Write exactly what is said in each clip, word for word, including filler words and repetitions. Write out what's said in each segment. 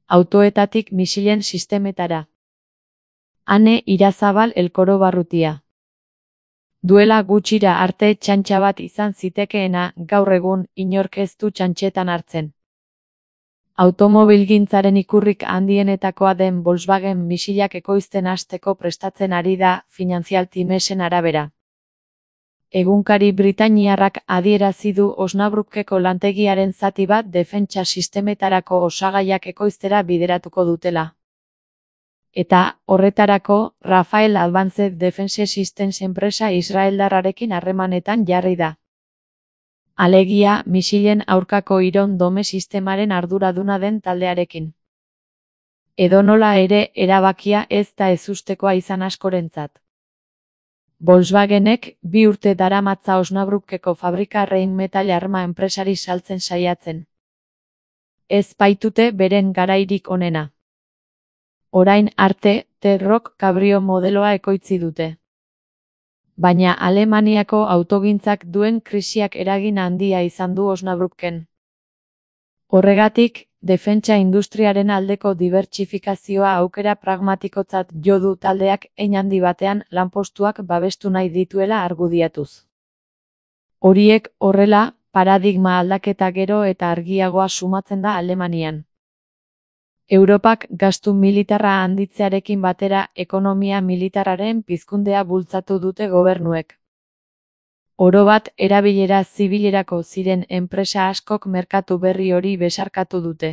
autoetatik misilen sistemetara. Ane Irazabal Elkoro Barrutia. Duela gutxira arte txantxa bat izan zitekeena, gaur egun inork ez du txantxetan hartzen. Automobilgintzaren ikurrik handienetakoa den Volkswagen misilak ekoizten hasteko prestatzen ari da, Financial Timesen arabera. Egunkari britainiarrak adierazi du Osnabruckeko lantegiaren zati bat defentsa sistemetarako osagaiak ekoiztera bideratuko dutela. Eta, horretarako, Rafael Advanced Defense Systems enpresa israeldarrarekin harremanetan jarri da. Alegia, misilen aurkako Iron Dome sistemaren arduraduna den taldearekin. Edonola ere, erabakia ez da ezustekoa izan askorentzat. Volkswagenek bi urte daramatza Osnabruckeko fabrika Rheinmetall arma enpresari saltzen saiatzen. Ez baitute beren garairik onena. Orain arte, T-Roc Cabrio modeloa ekoitzi dute. Baina Alemaniako autogintzak duen krisiak eragin handia izan du Osnabrucken. Horregatik, defentsa industriaren aldeko dibertsifikazioa aukera pragmatikotzat jo du taldeak hein handi batean lanpostuak babestu nahi dituela argudiatuz. Horiek horrela, paradigma aldaketa gero eta argiagoa sumatzen da Alemanian. Europak gastu militarra handitzearekin batera ekonomia militarraren pizkundea bultzatu dute gobernuek. Orobat erabilera zibilerako ziren enpresa askok merkatu berri hori besarkatu dute.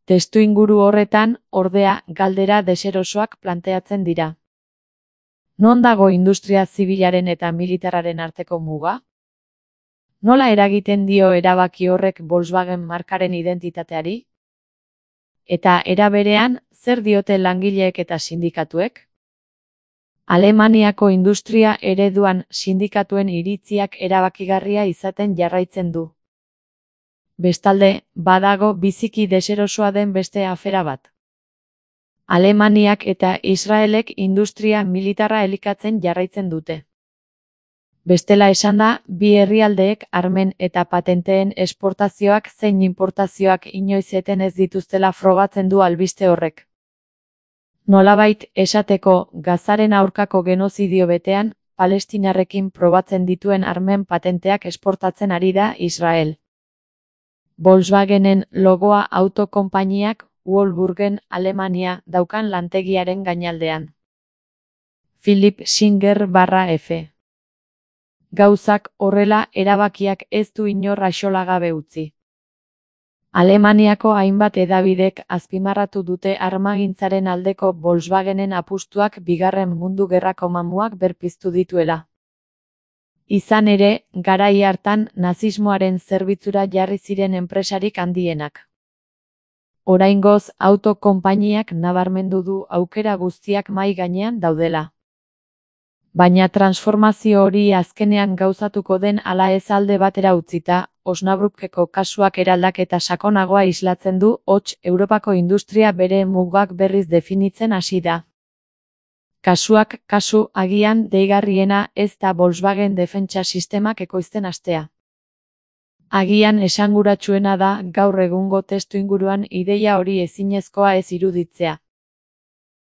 Testuinguru horretan, ordea, galdera deserosoak planteatzen dira. Non dago industria zibilaren eta militarraren arteko muga? Nola eragiten dio erabaki horrek Volkswagen markaren identitateari? Eta era berean, zer diote langileek eta sindikatuek? Alemaniako industria ereduan sindikatuen iritziak erabakigarria izaten jarraitzen du. Bestalde, badago biziki deserosoa den beste afera bat. Alemaniak eta Israelek industria militarra elikatzen jarraitzen dute. Bestela esanda, bi herrialdeek armen eta patenteen esportazioak zein importazioak inoiz eten ez dituztela frogatzen du albiste horrek. Nolabait esateko, Gazaren aurkako genozidio betean, Palestinarrekin probatzen dituen armen patenteak esportatzen ari da Israel. Volkswagenen logoa autokonpainiak Wolfsburgen, Alemania, daukan lantegiaren gainaldean. Philipp Singer barra F. Gauzak horrela erabakiak ez du inor axolagabe utzi. Alemaniako hainbat hedabidek azpimarratu dute armagintzaren aldeko Volkswagenen apustuak bigarren mundu gerrako mamuak berpiztu dituela. Izan ere, garai hartan nazismoaren zerbitzura jarri ziren enpresarik handienak. Oraingoz, autokonpainiak nabarmendu du aukera guztiak mahai gainean daudela. Baina transformazio hori azkenean gauzatuko den ala ez alde batera utzita, Osnabruckeko kasuak eraldaketa sakonagoa islatzen du, hots Europako industria bere mugak berriz definitzen hasi da. Kasuak kasu agian deigarriena ez da Volkswagen defentsa sistemak ekoizten hastea. Agian esanguratsuena da gaur egungo testuinguruan ideia hori ezinezkoa ez iruditzea.